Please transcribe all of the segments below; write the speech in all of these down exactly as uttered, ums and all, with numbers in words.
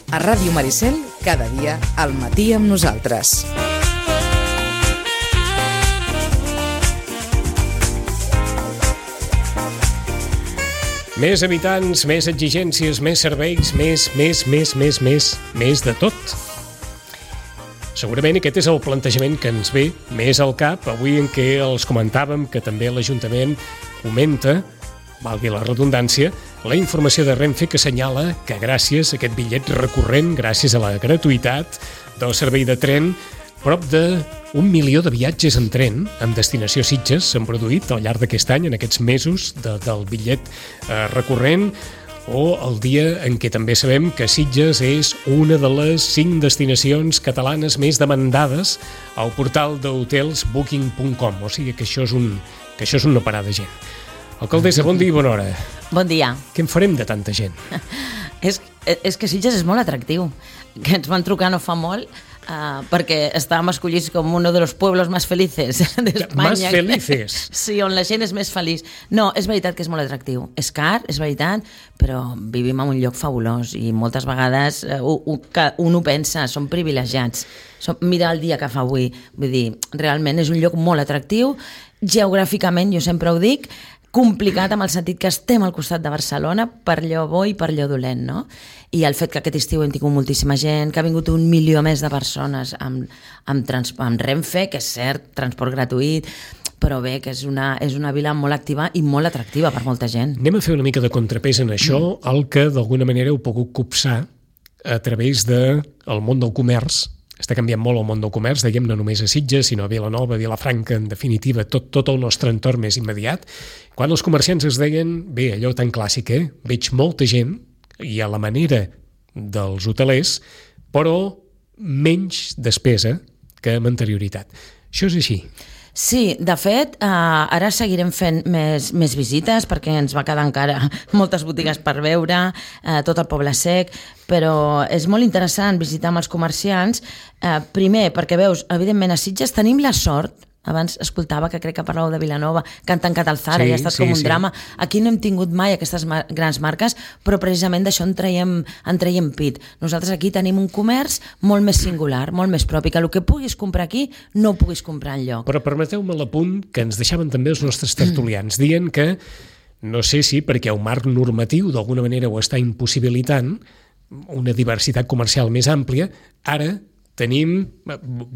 A Ràdio Maricel, cada dia al matí amb nosaltres. Més habitants, més exigències, més serveis, més, més, més, més, més, més de tot. Segurament aquest és el plantejament que ens ve més al cap avui en què els comentàvem que també l'Ajuntament comenta, valgui la redundància, la informació de Renfe que assenyala que gràcies a aquest bitllet recurrent, gràcies a la gratuïtat del servei de tren, prop d'un milió de viatges en tren amb destinació Sitges s'han produït al llarg d'aquest any, en aquests mesos de, del bitllet eh, recurrent, o el dia en què també sabem que Sitges és una de les cinc destinacions catalanes més demandades al portal d'hotels booking punt com, o sigui que això és, un, que això és un no parar de gent. Alcaldessa, bon dia i bona hora. Bon dia. Què en farem de tanta gent? és, és que Sitges és molt atractiu, que ens van trucar no fa molt, Uh, perquè estàvem escollits com un dels pueblos més felices d'Espanya. Més felices? Sí, on la gent és més feliç. No, és veritat que és molt atractiu. És car, és veritat, però vivim en un lloc fabulós i moltes vegades uh, un, un ho pensa, som privilegiats. Som, mira el dia que fa avui. Vull dir, realment és un lloc molt atractiu. Geogràficament, jo sempre ho dic, complicat amb el sentit que estem al costat de Barcelona per allò bo i per allò dolent, no? I el fet que aquest estiu hem tingut moltíssima gent, que ha vingut un milió més de persones amb, amb, trans, amb Renfe, que és cert, transport gratuït, però bé, que és una, és una vila molt activa i molt atractiva per molta gent. Anem a fer una mica de contrapès en això, mm. el que d'alguna manera heu pogut copsar a través del món del comerç. Està canviant molt el món del comerç, dèiem, no només a Sitges, sinó a Vilanova, Vilafranca, en definitiva, tot, tot el nostre entorn més immediat. Quan els comerciants es deien, bé, allò tan clàssic, eh? Veig molta gent, i a la manera dels hotelers, però menys despesa que amb anterioritat. Això és així. Sí, de fet, eh, ara seguirem fent més, més visites perquè ens va quedar encara moltes botigues per veure, eh, tot el Poble Sec, però és molt interessant visitar amb els comerciants, eh, primer perquè veus, evidentment a Sitges tenim la sort, abans escoltava que crec que parlàveu de Vilanova, que han tancat el Zara, sí, i ha estat sí, com un sí. drama. Aquí no hem tingut mai aquestes mar- grans marques, però precisament d'això en traiem, en traiem pit. Nosaltres aquí tenim un comerç molt més singular, molt més propi, que el que puguis comprar aquí no ho puguis comprar enlloc. Però permeteu-me l'apunt que ens deixaven també els nostres tertulians, mm. dient que, no sé si perquè el marc normatiu d'alguna manera ho està impossibilitant, una diversitat comercial més àmplia, ara tenim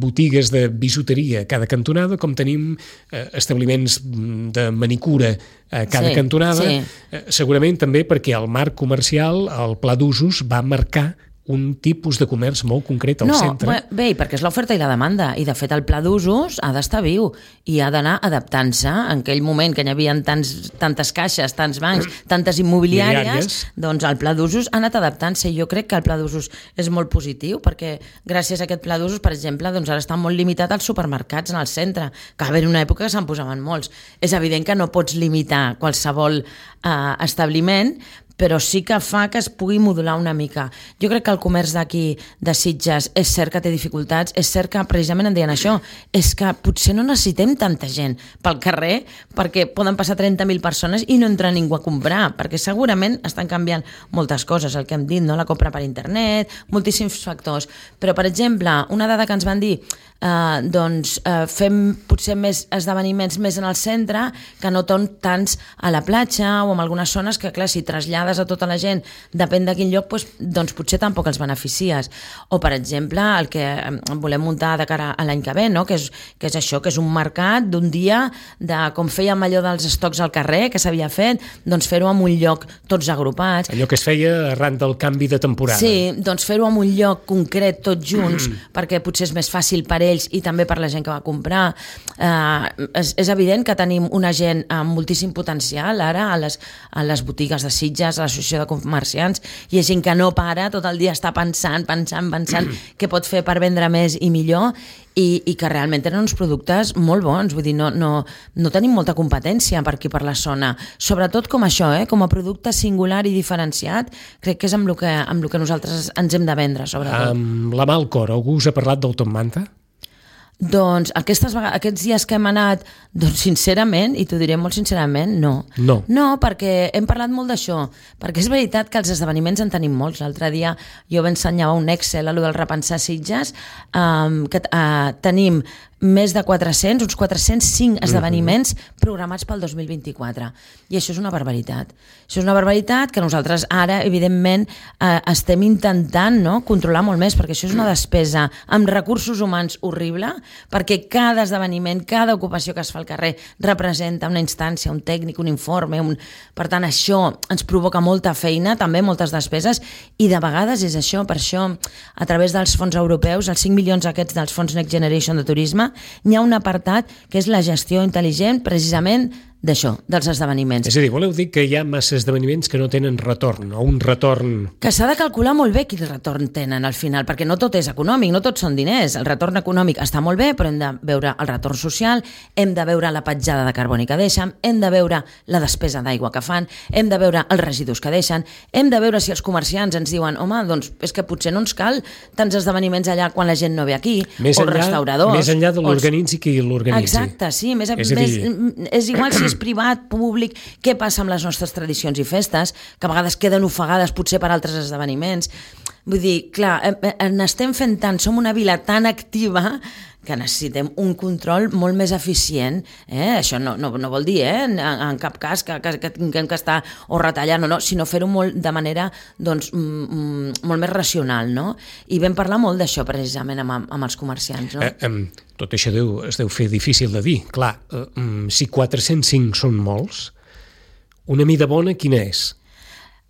botigues de bisuteria a cada cantonada, com tenim eh, establiments de manicura a cada sí, cantonada. Sí. Eh, segurament també perquè el marc comercial, el pla d'usos, va marcar un tipus de comerç molt concret al no, centre. No, bé, perquè és l'oferta i la demanda, i de fet el pla d'usos ha d'estar viu i ha d'anar adaptant-se. En aquell moment que hi havia tants, tantes caixes, tants bancs, tantes immobiliàries, Miliàries. doncs el pla d'usos ha anat adaptant-se, i jo crec que el pla d'usos és molt positiu, perquè gràcies a aquest pla d'usos, per exemple, doncs ara està molt limitat als supermercats en el centre, que va haver una època que se'n posaven molts. És evident que no pots limitar qualsevol eh, establiment, però sí que fa que es pugui modular una mica. Jo crec que el comerç d'aquí, de Sitges, és cert que té dificultats, és cert que precisament en deien això, és que potser no necessitem tanta gent pel carrer, perquè poden passar trenta mil persones i no entra ningú a comprar, perquè segurament estan canviant moltes coses, el que hem dit, no? La compra per internet, moltíssims factors. Però, per exemple, una dada que ens van dir, eh, doncs eh, fem potser més esdeveniments més en el centre que no tants a la platja o en algunes zones que, clar, si trasllades a tota la gent, depèn de quin lloc, doncs, doncs potser tampoc els beneficies. O, per exemple, el que volem muntar de cara a l'any que ve, no? que, és, que és això, que és un mercat d'un dia, de com fèiem allò dels estocs al carrer, que s'havia fet, doncs fer-ho en un lloc tots agrupats. Allò que es feia arran del canvi de temporada. Sí, doncs fer-ho en un lloc concret, tots junts, mm. perquè potser és més fàcil per ells i també per la gent que va comprar. Eh, és, és evident que tenim una gent amb moltíssim potencial ara a les, a les botigues de Sitges, a l'associació de comerciants, i és gent que no para, tot el dia està pensant, pensant, pensant què pot fer per vendre més i millor, i, i que realment tenen uns productes molt bons. Vull dir, no, no, no tenim molta competència per aquí, per la zona, sobretot com això, eh? Com a producte singular i diferenciat, crec que és amb el que, amb el que nosaltres ens hem de vendre, sobretot. Amb la mà al cor, algú us ha parlat del Top Manta? Doncs aquestes, aquests dies que hem anat, doncs sincerament, i t'ho diré molt sincerament, no. No. No, perquè hem parlat molt d'això, perquè és veritat que els esdeveniments en tenim molts. L'altre dia jo m'ensenyava un Excel a lo del repensar Sitges, um, que uh, tenim més de quatre-cents, uns quatre-cents cinc esdeveniments uh-huh. programats pel dos mil vint-i-quatre. I això és una barbaritat. Això és una barbaritat que nosaltres ara, evidentment, eh, estem intentant, no?, controlar molt més, perquè això és una despesa amb recursos humans horrible, perquè cada esdeveniment, cada ocupació que es fa al carrer representa una instància, un tècnic, un informe, un... per tant, això ens provoca molta feina, també moltes despeses, i de vegades és això, per això, a través dels fons europeus, els cinc milions aquests dels fons Next Generation de turisme, n'hi ha un apartat que és la gestió intel·ligent, precisament d'això, dels esdeveniments. És a dir, voleu dir que hi ha massa esdeveniments que no tenen retorn, o un retorn... Que s'ha de calcular molt bé quin retorn tenen al final, perquè no tot és econòmic, no tot són diners. El retorn econòmic està molt bé, però hem de veure el retorn social, hem de veure la petjada de carboni que deixen, hem de veure la despesa d'aigua que fan, hem de veure els residus que deixen, hem de veure si els comerciants ens diuen home, doncs és que potser no ens cal tants esdeveniments allà quan la gent no ve aquí, més o enllà, restauradors... Més enllà de l'organitzi qui l'organitzi. Exacte, sí, més, és, més, dir... és igual si és privat, públic, què passa amb les nostres tradicions i festes, que a vegades queden ofegades potser per altres esdeveniments. Vull dir, clar, n'estem fent tant, som una vila tan activa que necessitem un control molt més eficient. Eh? Això no, no, no vol dir, eh? en, en cap cas, que, que, que tinguem que estar o retallant o no, sinó fer-ho molt de manera doncs, mm, molt més racional. No? I vam parlar molt d'això, precisament, amb, amb els comerciants. No? Eh, eh, tot això deu, es deu fer difícil de dir. Clar, eh, si quatre-cents cinc són molts, una mida bona quina és?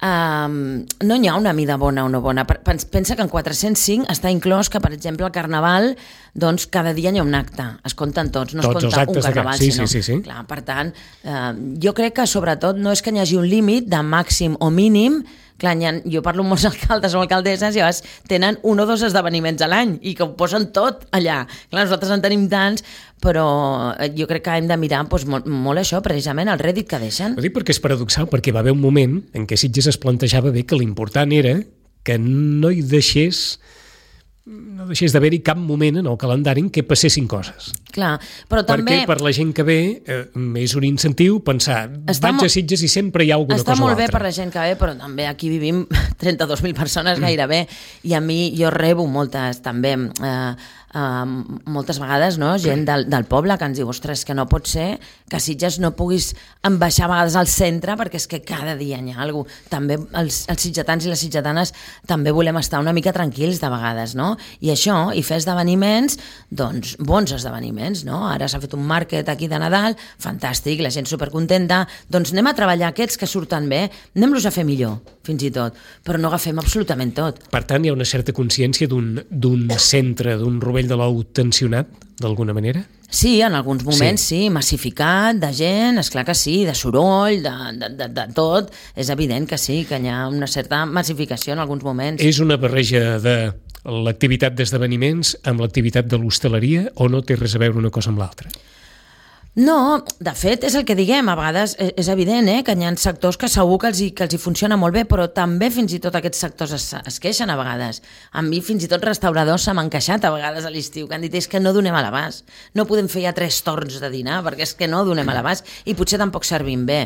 Um, no hi ha una mida bona o no bona. Pensa que en quatre-cents cinc està inclòs que, per exemple, el Carnaval, doncs cada dia hi ha un acte, es compten tots, no tots es compta un Carnaval, sí, sinó... Sí, sí, sí. Clar, per tant, uh, jo crec que sobretot no és que hi hagi un límit de màxim o mínim. Clar, ha, jo parlo amb molts alcaldes o alcaldesses i a vegades tenen un o dos esdeveniments a l'any i que ho posen tot allà. Clar, nosaltres en tenim tants, però jo crec que hem de mirar doncs, molt, molt això, precisament, el rèdit que deixen. Ho dic perquè és paradoxal, perquè va haver un moment en què Sitges es plantejava bé que l'important era que no hi deixés no deixés d'haver-hi cap moment en el calendari en què passessin coses. Clar, però també... Perquè per la gent que ve eh, és un incentiu pensar, està vaig a Sitges i sempre hi ha alguna està cosa o molt altra. Bé per la gent que ve, però també aquí vivim trenta-dos mil persones gairebé, i a mi jo rebo moltes també... Eh, Uh, moltes vegades, no? Gent del, del poble que ens diu, ostres, que no pot ser que a Sitges no puguis baixar a vegades al centre perquè és que cada dia hi ha alguna cosa. També els, els sitgetans i les sitgetanes també volem estar una mica tranquils de vegades, no? I això, i fer esdeveniments, doncs bons esdeveniments, no? Ara s'ha fet un màrquet aquí de Nadal, fantàstic, la gent supercontenta, doncs anem a treballar aquests que surten bé, anem-los a fer millor, fins i tot, però no agafem absolutament tot. Per tant, hi ha una certa consciència d'un, d'un centre, d'un rovell de l'ou tensionat, d'alguna manera? Sí, en alguns moments sí, sí massificat, de gent, esclar que sí, de soroll, de, de, de, de tot, és evident que sí, que hi ha una certa massificació en alguns moments. És una barreja de l'activitat d'esdeveniments amb l'activitat de l'hostaleria o no té res a veure una cosa amb l'altra? No, de fet, és el que diguem, a vegades és evident eh, que hi ha sectors que segur que els, hi, que els hi funciona molt bé, però també fins i tot aquests sectors es, es queixen a vegades. A mi fins i tot restauradors se m'han queixat a vegades a l'estiu, que han dit és que no donem a l'abast, no podem fer ja tres torns de dinar perquè és que no donem a l'abast i potser tampoc servim bé.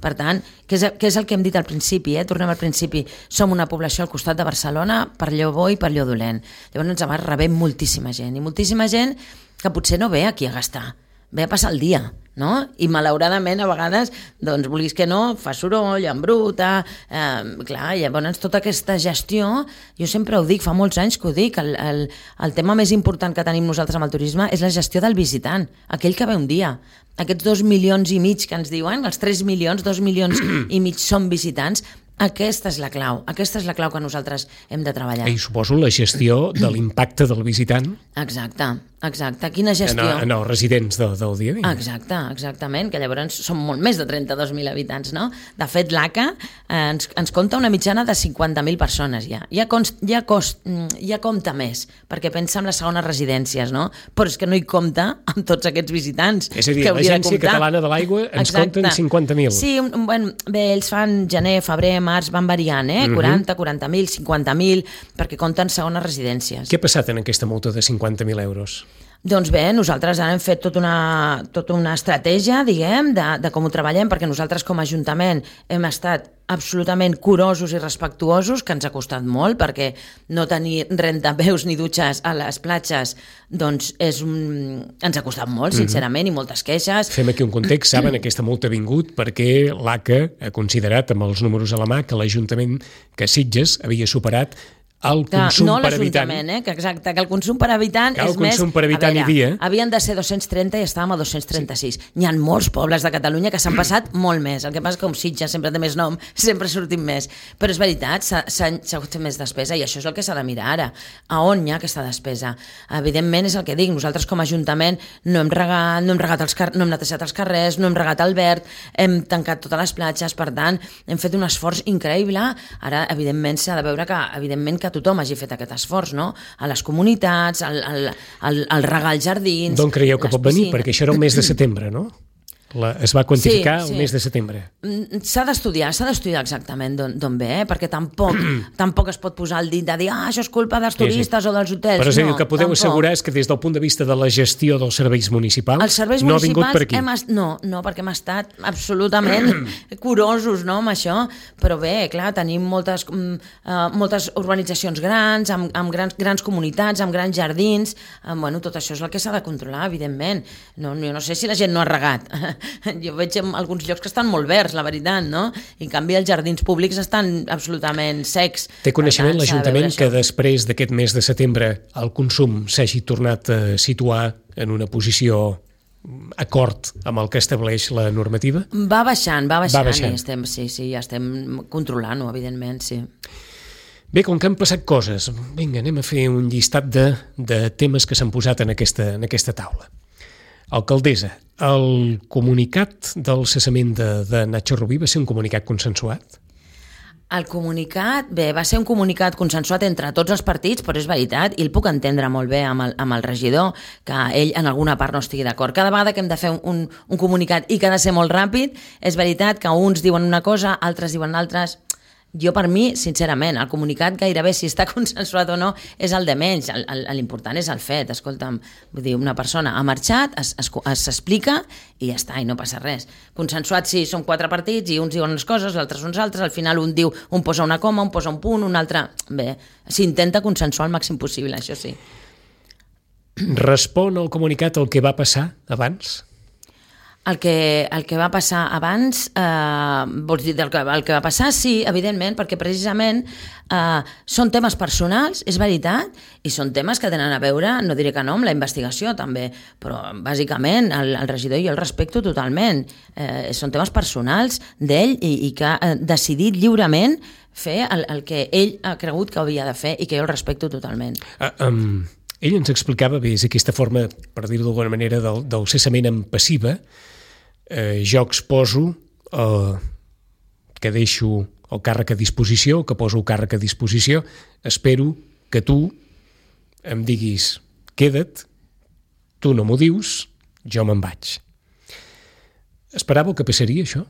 Per tant, què és, què és el que hem dit al principi? Eh? Tornem al principi, som una població al costat de Barcelona per allò bo i per allò dolent. Llavors ens va rebem moltíssima gent i moltíssima gent que potser no ve aquí a gastar, ve a passar el dia, no? I malauradament a vegades, doncs vulguis que no, fa soroll, embruta, eh, clar, llavors tota aquesta gestió, jo sempre ho dic, fa molts anys que ho dic, el, el, el tema més important que tenim nosaltres amb el turisme és la gestió del visitant, aquell que ve un dia. Aquests dos milions i mig que ens diuen, els tres milions, dos milions i mig són visitants, aquesta és la clau, aquesta és la clau que nosaltres hem de treballar. I suposo la gestió de l'impacte del visitant. Exacte, exacte. Quina gestió? En, en els residents del, del dia a dia. Exacte, exactament, que llavors són molt més de trenta-dos mil habitants, no? De fet, l'A C A eh, ens, ens compta una mitjana de cinquanta mil persones ja. Ja, const, ja, cost, ja compta més, perquè pensa en les segones residències, no? Però és que no hi compta amb tots aquests visitants. És a dir, l'Agència Catalana de l'Aigua ens Exacte. Compten cinquanta mil. Sí, bueno, bé, ells fan gener, febrer, març, van variant, eh? quaranta, quaranta mil, cinquanta mil, perquè compten segones residències. Què ha passat en aquesta multa de cinquanta mil euros? Doncs bé, nosaltres ara hem fet tota una, tota una estratègia, diguem, de, de com ho treballem, perquè nosaltres com a Ajuntament hem estat absolutament curosos i respectuosos, que ens ha costat molt, perquè no tenir rentapeus ni dutxes a les platges, doncs és un... ens ha costat molt, sincerament, mm-hmm. i moltes queixes. Fem aquí un context, saben, aquesta multa ha vingut perquè l'A C A ha considerat, amb els números a la mà, que l'Ajuntament, que Sitges havia superat el consum no per habitant. No l'Ajuntament, eh? que exacte, que el consum per habitant que és el consum més... per habitant veure, i dia. Havien de ser dos-cents trenta i estàvem a dos-cents trenta-sis. Sí. N'hi ha molts pobles de Catalunya que s'han passat molt més. El que passa és que com Sitges sempre té més nom, sempre sortim més. Però és veritat, s'ha fet més despesa i això és el que s'ha de mirar ara. A on hi ha aquesta despesa? Evidentment és el que dic, nosaltres com a Ajuntament no hem regat, no hem, regat els car no hem netejat els carrers, no hem regat el verd, hem tancat totes les platges, per tant, hem fet un esforç increïble. Ara, evidentment, s'ha de veure que, evidentment, que tothom hagi fet aquest esforç, no? A les comunitats, al, al, al, al regar els jardins... D'on creieu que pot venir? Perquè això era el mes de setembre, no? La, es va quantificar sí, sí. el mes de setembre. S'ha d'estudiar, s'ha d'estudiar exactament d'on ve, eh? perquè tampoc tampoc es pot posar el dit de dir ah, això és culpa dels turistes sí, sí. o dels hotels. Però és a dir, no, el que podeu tampoc. assegurar és que des del punt de vista de la gestió dels serveis municipals els serveis no ha vingut per aquí. Hem est... No, no, perquè hem estat absolutament curosos no, amb això, però bé, clar, tenim moltes, uh, moltes urbanitzacions grans, amb, amb grans, grans comunitats, amb grans jardins, uh, bueno, tot això és el que s'ha de controlar, evidentment. No, jo no sé si la gent no ha regat. Jo veig en alguns llocs que estan molt verds, la veritat, no? I en canvi els jardins públics estan absolutament secs. Té coneixement l'Ajuntament que després d'aquest mes de setembre el consum s'hagi tornat a situar en una posició acord amb el que estableix la normativa? Va baixant, va baixant, va baixant. I estem, sí, sí, ja estem controlant-ho, evidentment, sí. Bé, com que han passat coses, vinga, anem a fer un llistat de, de temes que s'han posat en aquesta, en aquesta taula. Alcaldessa, el comunicat del cessament de, de Nacho Rubí va ser un comunicat consensuat? El comunicat, bé, va ser un comunicat consensuat entre tots els partits, però és veritat, i el puc entendre molt bé amb el, amb el regidor, que ell en alguna part no estigui d'acord. Cada vegada que hem de fer un, un comunicat i que ha de ser molt ràpid, és veritat que uns diuen una cosa, altres diuen altres... Jo, per mi, sincerament, el comunicat gairebé, si està consensuat o no, és el de menys. L'important és el fet. Escolta'm, vull dir, una persona ha marxat, s'explica i ja està, i no passa res. Consensuat, sí, són quatre partits i uns diuen unes coses, l'altres uns altres, al final un diu, un posa una coma, un posa un punt, un altre... Bé, s'intenta consensuar el màxim possible, això sí. Respon el comunicat al que va passar abans? El que, el que va passar abans, eh, vols dir del que, el que va passar, sí, evidentment, perquè precisament eh, són temes personals, és veritat, i són temes que tenen a veure, no diré que no, amb la investigació també, però bàsicament el, el regidor jo el respecto totalment. Eh, són temes personals d'ell i, i que ha decidit lliurement fer el, el que ell ha cregut que havia de fer i que jo el respecto totalment. Uh, um, ell ens explicava bé, és aquesta forma, per dir-ho d'alguna manera, del, del cessament en passiva. Eh, jo exposo eh, que deixo el càrrec a disposició, que poso el càrrec a disposició, espero que tu em diguis queda't, tu no m'ho dius, jo me'n vaig. Esperàveu que passaria això?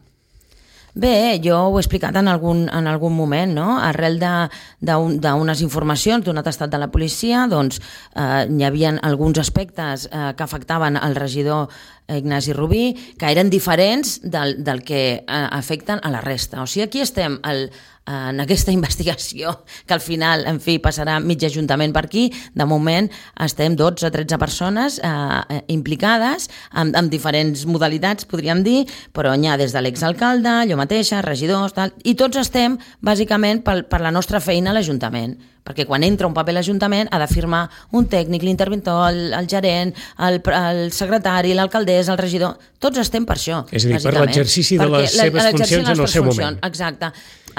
Bé, jo ho he explicat en algun, en algun moment, no? Arrel d'unes informacions d'un atestat de la policia, doncs eh, hi havia alguns aspectes eh, que afectaven el regidor Ignasi Rubí, que eren diferents del, del que eh, afecten a la resta. O sigui, aquí estem el, en aquesta investigació, que al final, en fi, passarà mig ajuntament per aquí. De moment estem dotze o tretze persones eh, implicades amb, amb diferents modalitats, podríem dir, però n'hi ha des de l'exalcalde, jo mateixa, regidors, tal, i tots estem, bàsicament, per, per la nostra feina a l'Ajuntament. Perquè quan entra un paper a l'Ajuntament ha de firmar un tècnic, l'interventor, el, el gerent, el, el secretari, l'alcaldessa, el regidor... Tots estem per això. És a dir, per l'exercici de les seves funcions en el seu moment. Exacte.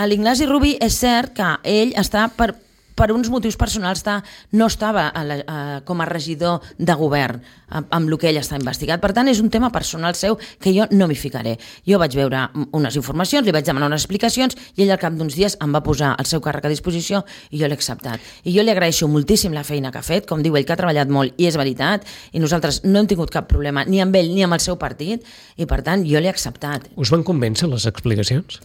L'Ignasi Rubí és cert que ell està per... per uns motius personals està, no estava a la, a, com a regidor de govern amb, amb el que ell està investigat. Per tant, és un tema personal seu que jo no m'hi ficaré. Jo vaig veure unes informacions, li vaig demanar unes explicacions i ell al cap d'uns dies em va posar el seu càrrec a disposició i jo l'he acceptat. I jo li agraeixo moltíssim la feina que ha fet, com diu ell, que ha treballat molt i és veritat, i nosaltres no hem tingut cap problema ni amb ell ni amb el seu partit i per tant jo l'he acceptat. Us van convèncer les explicacions?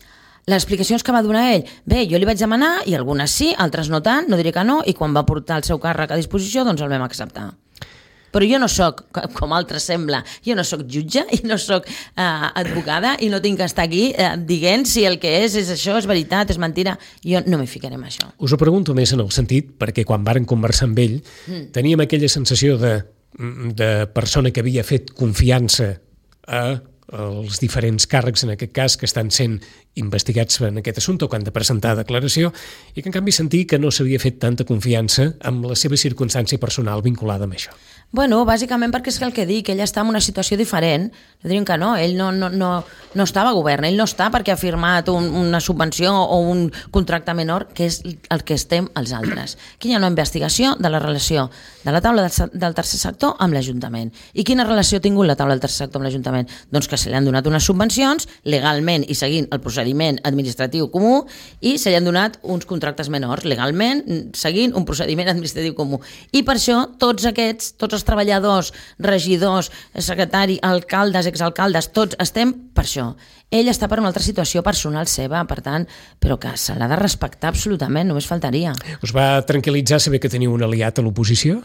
Les explicacions que va donar ell, bé, jo li vaig demanar i algunes sí, altres no tant, no diré que no, i quan va portar el seu càrrec a disposició doncs el vam acceptar. Però jo no sóc, com altres sembla, jo no sóc jutge i no sóc eh, advocada i no tinc que estar aquí eh, dient si el que és és això, és veritat, és mentira. Jo no m'hi ficaré en això. Us ho pregunto més en el sentit, perquè quan varen conversar amb ell mm. teníem aquella sensació de, de persona que havia fet confiança a els diferents càrrecs, en aquest cas, que estan sent investigats en aquest assumpte o que han de presentar declaració, i que en canvi sentir que no s'havia fet tanta confiança amb la seva circumstància personal vinculada amb això. Bueno, bàsicament perquè és el que dic, ell està en una situació diferent. Diuen que no, ell no, no, no, no estava a govern, ell no està perquè ha firmat un, una subvenció o un contracte menor, que és el que estem els altres. Aquí hi ha una investigació de la relació de la taula del, del tercer sector amb l'Ajuntament. I quina relació ha tingut la taula del tercer sector amb l'Ajuntament? Doncs que se li han donat unes subvencions legalment i seguint el procediment administratiu comú, i se li han donat uns contractes menors legalment seguint un procediment administratiu comú. I per això tots aquests, tots els treballadors, regidors, secretari, alcaldes, exalcaldes, tots estem per això. Ell està per una altra situació personal seva, per tant, però que se l'ha de respectar absolutament, només faltaria. Us va tranquil·litzar saber que teniu un aliat a l'oposició?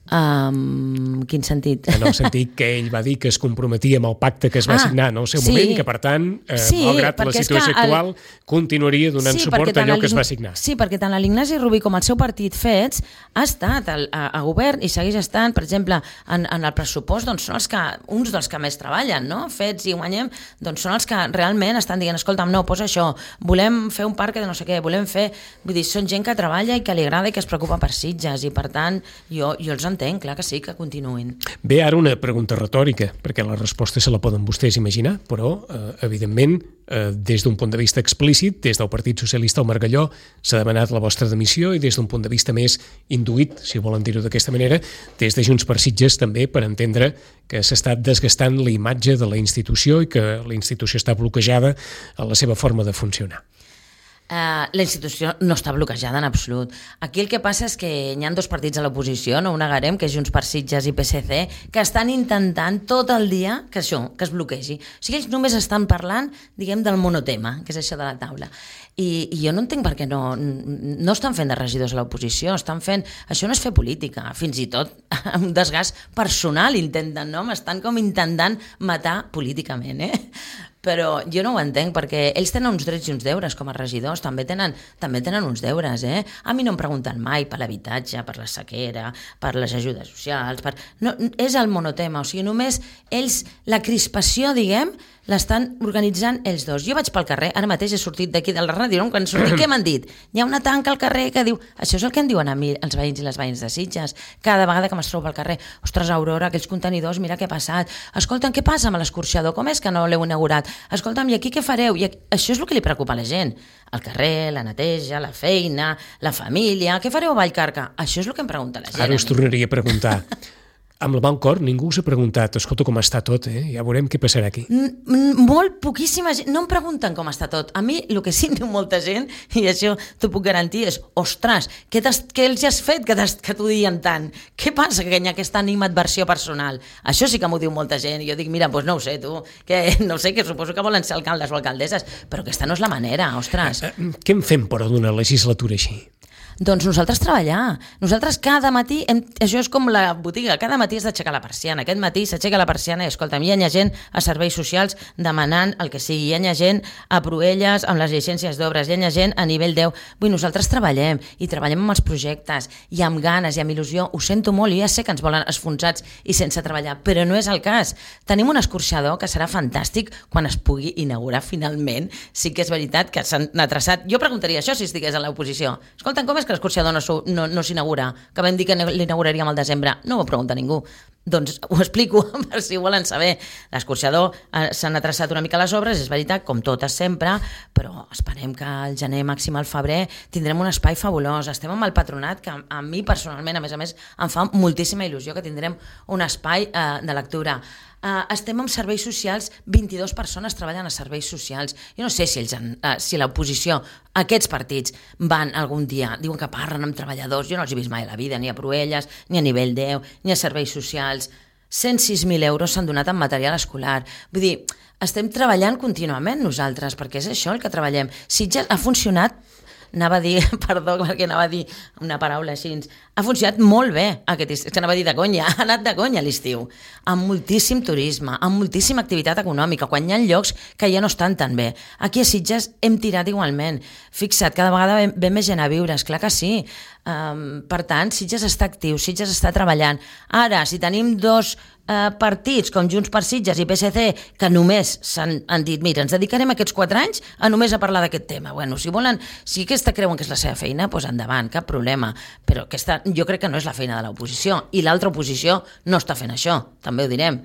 Um, quin sentit? En el sentit que ell va dir que es comprometia amb el pacte que es va ah, signar en el seu sí. moment i que, per tant, eh, sí, malgrat la situació el... actual, continuaria donant sí, suport a allò que es va signar. Sí, perquè tant l'Ignasi Rubí com el seu partit Fets ha estat a, a, a govern i segueix estant, per exemple, en, en el pressupost, doncs són els que, uns dels que més treballen, no? Fets i Guanyem, doncs són els que realment estan dient, escolta'm, no, posa això, volem fer un parc de no sé què, volem fer... Vull dir, són gent que treballa i que li agrada i que es preocupa per Sitges, i per tant, jo, jo els entenc, clar que sí, que continuïn. Bé, ara una pregunta retòrica, perquè la resposta se la poden vostès imaginar, però, eh, evidentment, eh, des d'un punt de vista explícit, des del Partit Socialista al Margalló, s'ha demanat la vostra dimissió, i des d'un punt de vista més induït, si volen dir-ho d'aquesta manera, des de Junts per Sitges també, per entendre que s'ha estat desgastant la imatge de la institució i que la institució està bloquejada a la seva forma de funcionar. Uh, la institució no està bloquejada en absolut. Aquí el que passa és que hi ha dos partits a l'oposició, no ho negarem, que és Junts per Sitges i P S C, que estan intentant tot el dia que això, que es bloquegi. O sigui, ells només estan parlant, diguem, del monotema, que és això de la taula. I, i jo no entenc per què no, no estan fent de regidors a l'oposició, estan fent... Això no és fer política, fins i tot un desgast personal intenten, no? M'estan com intentant matar políticament, eh? Però jo no ho entenc, perquè ells tenen uns drets i uns deures com a regidors, també tenen, també tenen uns deures, eh? A mi no em pregunten mai per l'habitatge, per la sequera, per les ajudes socials, per... No, és el monotema, o sigui, només ells, la crispació, diguem, l'estan organitzant ells dos. Jo vaig pel carrer, ara mateix he sortit d'aquí de la ràdio, no? Quan sortit, què m'han dit? Hi ha una tanca al carrer que diu... Això és el que em diuen a mi els veïns i les veïns de Sitges. Cada vegada que m'es trobo al carrer, ostres, Aurora, aquells contenidors, mira què ha passat. Escolta'm, què passa amb l'escorxador? Com és que no l'heu inaugurat? Escolta'm, i aquí què fareu? I aquí... Això és el que li preocupa a la gent. El carrer, la neteja, la feina, la família... Què fareu a Vallcarca? Això és el que em pregunta la gent. Ara us tornaria a preguntar... Amb la mà al cor, ningú us ha preguntat, escolta, com està tot, eh? Ja veurem què passarà aquí. Molt poquíssima gent, no em pregunten com està tot. A mi, el que sí diu molta gent, i això t'ho puc garantir, és, ostres, què, què els has fet que, que t'ho diuen tant? Què passa que hi ha aquesta animadversió personal? Això sí que m'ho diu molta gent, i jo dic, mira, doncs no ho sé, tu, que no sé, que suposo que volen ser alcaldes o alcaldesses, però aquesta no és la manera, ostres. Què en fem, però, d'una legislatura així? Doncs nosaltres treballar. Nosaltres cada matí, hem, això és com la botiga, cada matí has d'aixecar la persiana. Aquest matí s'aixeca la persiana i, escolta'm, hi ha gent a serveis socials demanant el que sigui. Hi ha gent a Proelles amb les llicències d'obres, hi ha gent a nivell deu. Vull, nosaltres treballem i treballem amb els projectes i amb ganes i amb il·lusió. Ho sento molt, jo ja sé que ens volen esfonsats i sense treballar, però no és el cas. Tenim un escorxador que serà fantàstic quan es pugui inaugurar finalment. Sí que és veritat que s'han atreçat. Jo preguntaria això si estigués a l'oposició. Escolta'm, com és que l'escorxador no, no, no s'inaugura? Que vam dir que l'inauguraríem al desembre. No ho pregunta ningú. Doncs ho explico, per si ho volen saber. L'escorxador eh, s'han atreçat una mica les obres, és veritat, com totes sempre, però esperem que al gener, màxim al febrer, tindrem un espai fabulós. Estem amb el patronat, que a, a mi personalment, a més a més, em fa moltíssima il·lusió que tindrem un espai eh, de lectura. Uh, estem amb serveis socials, vint-i-dues persones treballen a serveis socials. Jo no sé si, ells han, uh, si l'oposició, aquests partits, van algun dia, diuen que parlen amb treballadors, jo no els he vist mai a la vida, ni a Proelles, ni a nivell deu, ni a serveis socials. cent sis mil euros s'han donat en material escolar. Vull dir, estem treballant contínuament nosaltres, perquè és això el que treballem. Sitges ha funcionat anava a dir, perdó, perquè anava a dir una paraula així, ha funcionat molt bé aquest estiu, és que anava a dir de conya, ha anat de conya l'estiu, amb moltíssim turisme, amb moltíssima activitat econòmica, quan hi ha llocs que ja no estan tan bé. Aquí a Sitges hem tirat igualment. Fixa't, cada vegada ve, ve més gent a viure, esclar que sí. Um, per tant, Sitges està actiu, Sitges està treballant. Ara, si tenim dos uh, partits, com Junts per Sitges i P S C, que només s'han han dit, mira, ens dedicarem aquests quatre anys a només a parlar d'aquest tema. Bueno, si volen, si aquesta creuen que és la seva feina, doncs endavant, cap problema. Però aquesta, jo crec que no és la feina de l'oposició. I l'altra oposició no està fent això, també ho direm.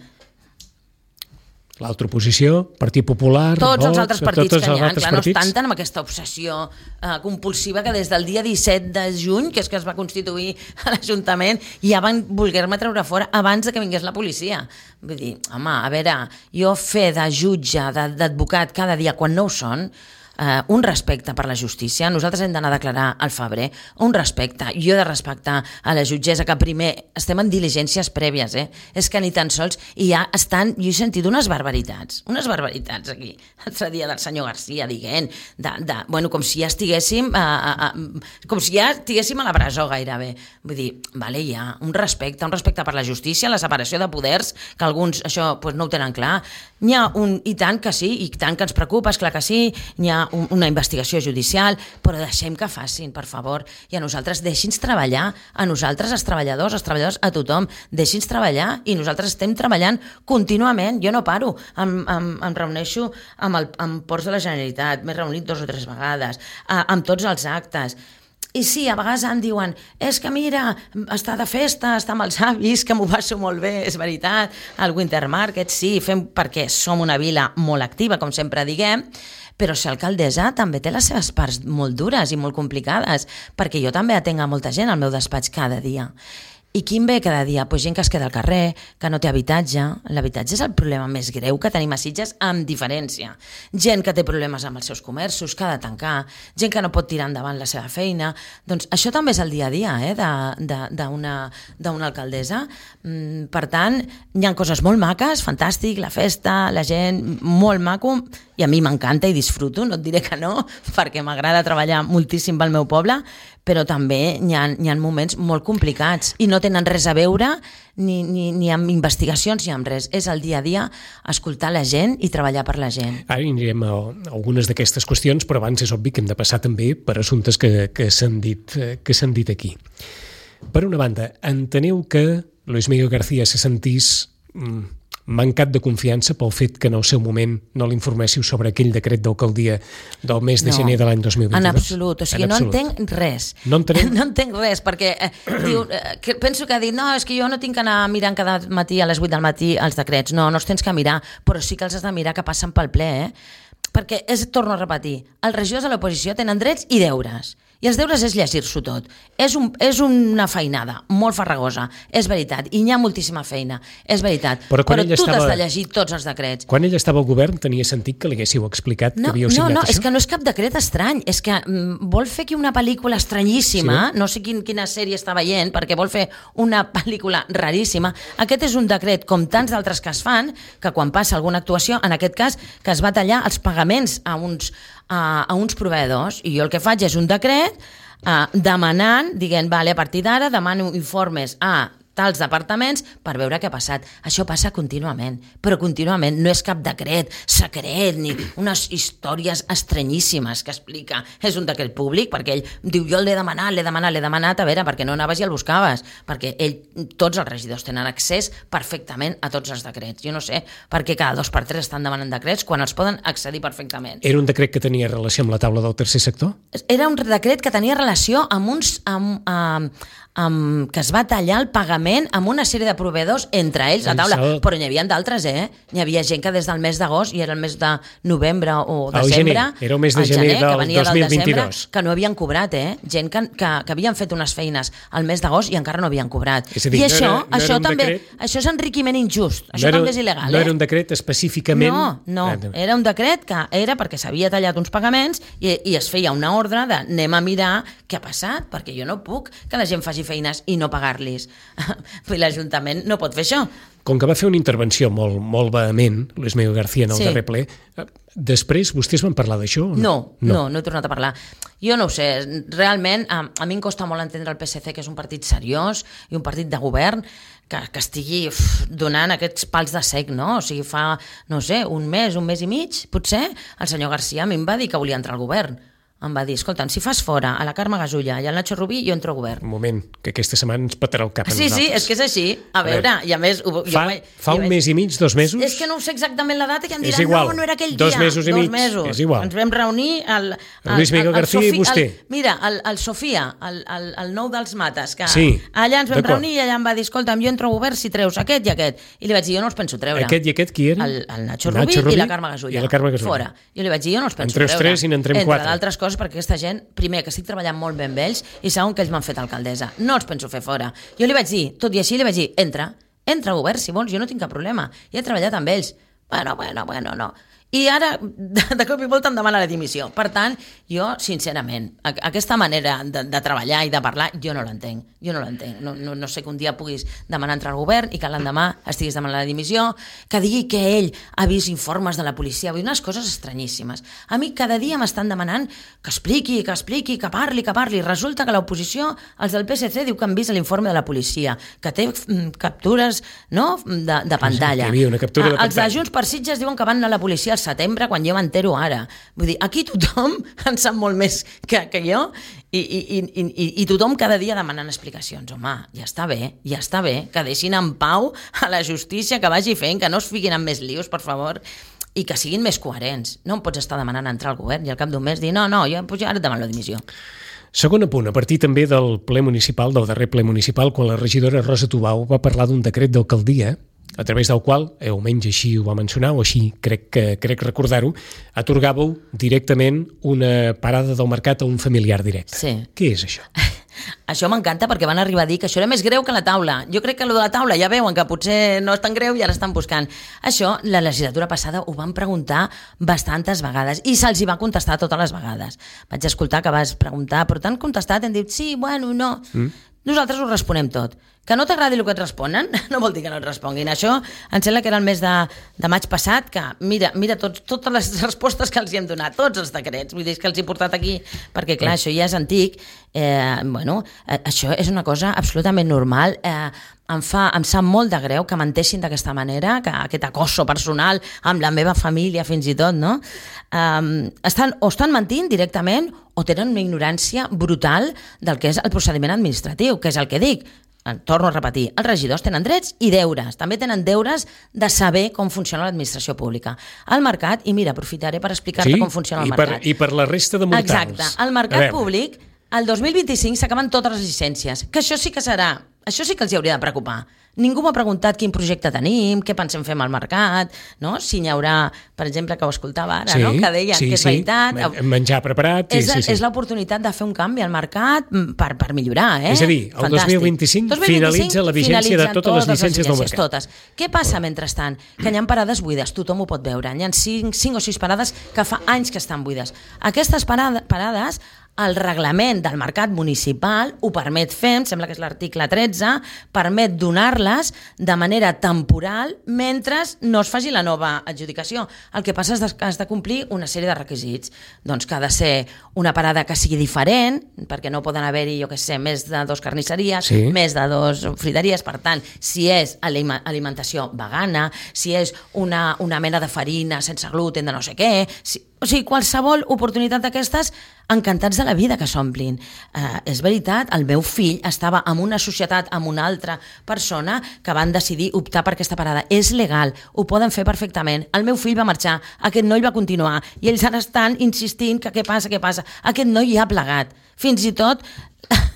L'altra oposició, Partit Popular, tots Vox, els altres partits tots que hi ha, clar, no partits. estan tant amb aquesta obsessió eh, compulsiva que des del dia disset de juny, que és que es va constituir a l'Ajuntament, ja van voler-me treure fora abans de que vingués la policia. Vull dir, home, a veure, jo fer de jutge, d'advocat cada dia quan no ho són, Uh, un respecte per la justícia, nosaltres hem d'anar a declarar al febrer, un respecte, jo he de respectar a la jutgessa, que primer estem en diligències prèvies, eh? És que ni tan sols, i ja estan, jo he sentit unes barbaritats, unes barbaritats aquí, l'altre dia del senyor Garcia dient, de, de, bueno, com si ja estiguéssim, uh, uh, uh, com si ja estiguéssim a la presó gairebé, vull dir, vale, ja, un respecte, un respecte per la justícia, la separació de poders, que alguns això pues, no ho tenen clar, n'hi ha un, i tant que sí, i tant que ens preocupa, és clar que sí, n'hi ha una investigació judicial, però deixem que facin, per favor, i a nosaltres deixi'ns treballar, a nosaltres, els treballadors, els treballadors, a tothom, deixi'ns treballar, i nosaltres estem treballant contínuament, jo no paro, em, em, em reuneixo amb, el, amb Ports de la Generalitat, m'he reunit dos o tres vegades, a, amb tots els actes. I sí, a vegades em diuen, és que mira, està de festa, està amb els avis, que m'ho passo molt bé, és veritat, al Winter Market, sí, fem perquè som una vila molt activa, com sempre diguem, però ser alcaldessa també té les seves parts molt dures i molt complicades, perquè jo també atenc a molta gent al meu despatx cada dia. I quin ve cada dia? Pues gent que es queda al carrer, que no té habitatge. L'habitatge és el problema més greu que tenim a Sitges, amb diferència. Gent que té problemes amb els seus comerços, que ha de tancar, gent que no pot tirar endavant la seva feina. Doncs això també és el dia a dia eh, d'una alcaldessa. Per tant, hi ha coses molt maques, fantàstic, la festa, la gent, molt maco, i a mi m'encanta i disfruto, no et diré que no, perquè m'agrada treballar moltíssim pel meu poble, però també hi ha, hi ha moments molt complicats i no tenen res a veure ni, ni, ni amb investigacions ni amb res. És el dia a dia escoltar la gent i treballar per la gent. Ara anirem a algunes d'aquestes qüestions, però abans és obvi que hem de passar també per assumptes que, que s'han dit, que s'han dit aquí. Per una banda, enteneu que Luis Miguel García se sentís mm, mancat de confiança pel fet que en el seu moment no l'informéssiu sobre aquell decret d'alcaldia del mes de no, gener de l'any dos mil vint-i-dos? En absolut, o sigui, en absolut. No entenc res. No entenem? No entenc res, perquè eh, diu, eh, que penso que ha dit, no, és que jo no tinc que anar mirant cada matí a les vuit del matí els decrets. No, no els tens que mirar, però sí que els has de mirar que passen pel ple, eh? Perquè, és, torno a repetir, els regidors de l'oposició tenen drets i deures. I els deures és llegir-s'ho tot. És, un, és una feinada molt farragosa, és veritat, i hi ha moltíssima feina, és veritat, però, però tu estava... t'has de llegir tots els decrets. Quan ell estava al govern tenia sentit que li haguéssiu explicat no, que havíeu signat no, no, això? És que no és cap decret estrany, és que mm, vol fer aquí una pel·lícula estranyíssima, sí, no sé quin, quina sèrie està veient, perquè vol fer una pel·lícula raríssima. Aquest és un decret, com tants d'altres que es fan, que quan passa alguna actuació, en aquest cas, que es va tallar els pagaments a uns A, a uns proveïdors, i jo el que faig és un decret eh, demanant, dient, vale, a partir d'ara demano informes a tals departaments per veure què ha passat. Això passa contínuament, però contínuament, no és cap decret secret ni unes històries estranyíssimes que explica. És un decret públic perquè ell diu, jo l'he demanat, l'he demanat, l'he demanat, a veure, perquè no anaves i el buscaves, perquè ell, tots els regidors tenen accés perfectament a tots els decrets. Jo no sé per què cada dos per tres estan demanant decrets quan els poden accedir perfectament. Era un decret que tenia relació amb la taula del tercer sector? Era un decret que tenia relació amb uns... Amb, amb, amb, que es va tallar el pagament amb una sèrie de proveïdors, entre ells a taula, però n'hi havia d'altres, eh? N'hi havia gent que des del mes d'agost, i era el mes de novembre o desembre, era el mes de gener, gener del dos mil vint-i-dos, que no havien cobrat, eh? Gent que, que, que havien fet unes feines al mes d'agost i encara no havien cobrat. És a dir, I això, no era, no això també, decret... això és enriquiment injust, això no era, també és il·legal, no eh? era un decret específicament... No, no, era un decret que era perquè s'havia tallat uns pagaments i, i es feia una ordre de anem a mirar què ha passat, perquè jo no puc que la gent faci feines i no pagar-los. l'Ajuntament no pot fer això. Com que va fer una intervenció molt, molt vehement, Luis Miguel García, en el sí. darrer ple, després vostès van parlar d'això? No? No, no, no, no he tornat a parlar. Jo no ho sé, realment a, a mi em costa molt entendre el P S C, que és un partit seriós i un partit de govern, que, que estigui uf, donant aquests pals de sec, no? O sigui, fa, no sé, un mes, un mes i mig, potser, el senyor García a mi em va dir que volia entrar al govern. Em va dir, escolta'm, si fas fora a la Carme Gasulla i al Nacho Rubí, jo entro a govern. Un moment, que aquesta setmana ens petarà el cap a sí, nosaltres. Sí, és que és així. A, a veure, i a més... Ho, fa jo, fa un jo, mes i mig, dos mesos? És que no ho sé exactament la data, que em diran, igual. no, no era aquell dos dia. Mesos i dos mig. mesos. És igual. Ens vam reunir... El, el, el Luis Miguel el, el García Sofi, i vostè. El, mira, el, el Sofia, el, el, el nou dels Mates, que sí, allà ens vam reunir i allà em va dir, escolta'm, jo entro a govern si treus aquest i aquest. I li vaig dir, jo no els penso treure. Aquest i aquest qui eren? El, el Nacho, Nacho Rubí, Rubí i la Carme Gasulla. I la Carme Gasulla. Fora. Jo li vaig dir, jo no els penso treure. treure. Entre els tres i n'entrem quatre. Entre d'altres coses, perquè aquesta gent, primer, que estic treballant molt ben amb ells, i segon, que ells m'han fet alcaldessa. No els penso fer fora. Jo li vaig dir, tot i així li vaig dir, entra, entra a govern, si vols, jo no tinc cap problema. Ja he treballat amb ells. Bueno, bueno, bueno, no. I ara, de, de cop i volta, em demana la dimissió. Per tant, jo, sincerament, a, aquesta manera de, de treballar i de parlar, jo no l'entenc. Jo no l'entenc. No, no, no sé que un dia puguis demanar entrar al govern i que l'endemà estiguis demanant la dimissió, que digui que ell ha vist informes de la policia, vull dir, unes coses estranyíssimes. A mi cada dia m'estan demanant que expliqui, que expliqui, que parli, que parli. Resulta que l'oposició, els del P S C, diu que han vist l'informe de la policia, que té mm, captures, no?, de, de pantalla. Que hi havia una captura de pantalla. Els de Junts per Sitges diuen que van anar a la policia al setembre, quan jo m'entero ara. Vull dir, aquí tothom en sap molt més que, que jo i, i, i, i, i tothom cada dia demanant explicacions. Home, ja està bé, ja està bé, que deixin en pau a la justícia, que vagi fent, que no es fiquin en més lius, per favor, i que siguin més coherents. No em pots estar demanant entrar al govern i al cap d'un mes dir no, no, jo, pues, ara et demano la dimissió. Segon apunt, a partir també del ple municipal, del darrer ple municipal, quan la regidora Rosa Tubau va parlar d'un decret d'alcaldia a través del qual, eh, almenys així ho va mencionar, o així crec, que, crec recordar-ho, atorgàveu directament una parada del mercat a un familiar directe. Sí. Què és això? Això m'encanta perquè van arribar a dir que això era més greu que la taula. Jo crec que allò de la taula ja veuen que potser no és tan greu i ara estan buscant. Això, la legislatura passada ho van preguntar bastantes vegades i se'ls hi va contestar totes les vegades. Vaig escoltar que vas preguntar, però t'han contestat, hem dit sí, bueno, no... Mm. Nosaltres ho responem tot. Que no t'agradi el que et responen no vol dir que no et responguin. Això em sembla que era el mes de, de maig passat, que mira, mira tots, totes les respostes que els hi hem donat, tots els decrets, vull dir que els he portat aquí, perquè clar, això ja és antic. Eh, bueno, eh, això és una cosa absolutament normal. Eh, em, fa, em sap molt de greu que menteixin d'aquesta manera, que aquest acoso personal amb la meva família fins i tot, no? Eh, estan, o estan mentint directament o tenen una ignorància brutal del que és el procediment administratiu, que és el que dic. Torno a repetir, els regidors tenen drets i deures, també tenen deures de saber com funciona l'administració pública. El mercat, i mira, aprofitaré per explicar-te sí, com funciona el i per, mercat. I per la resta de mortals. Exacte, el mercat públic, el dos mil vint-i-cinc s'acaben totes les llicències, que això sí que serà, això sí que els hi hauria de preocupar. Ningú m'ha preguntat quin projecte tenim, què pensem fer amb el mercat, no? Si n'hi haurà, per exemple, que ho escoltava ara, sí, no? Que deia sí, que és sí. veritat. Menjar preparat. És, sí, sí, sí. és l'oportunitat de fer un canvi al mercat per, per millorar, eh? És a dir, el Fantàstic. dos mil vint-i-cinc finalitza la vigència de totes les llicències del mercat. Totes. Què passa mentrestant? Que hi ha parades buides, tothom ho pot veure. Hi ha cinc, cinc o sis parades que fa anys que estan buides. Aquestes parades, parades el reglament del mercat municipal ho permet fer, em sembla que és l'article tretze, permet donar-les de manera temporal mentre no es faci la nova adjudicació. El que passa és que has de complir una sèrie de requisits. Doncs que ha de ser una parada que sigui diferent, perquè no poden haver-hi, jo què sé, més de dos carnisseries, sí. més de dos frideries. Per tant, si és alimentació vegana, si és una, una mena de farina sense gluten de no sé què... Si, o sigui, qualsevol oportunitat d'aquestes, encantats de la vida que s'omplin. Eh, és veritat, el meu fill estava en una societat amb una altra persona que van decidir optar per aquesta parada. És legal, ho poden fer perfectament. El meu fill va marxar, aquest noi va continuar, i ells ara estan insistint que què passa, què passa. Aquest noi ja ha plegat. Fins i tot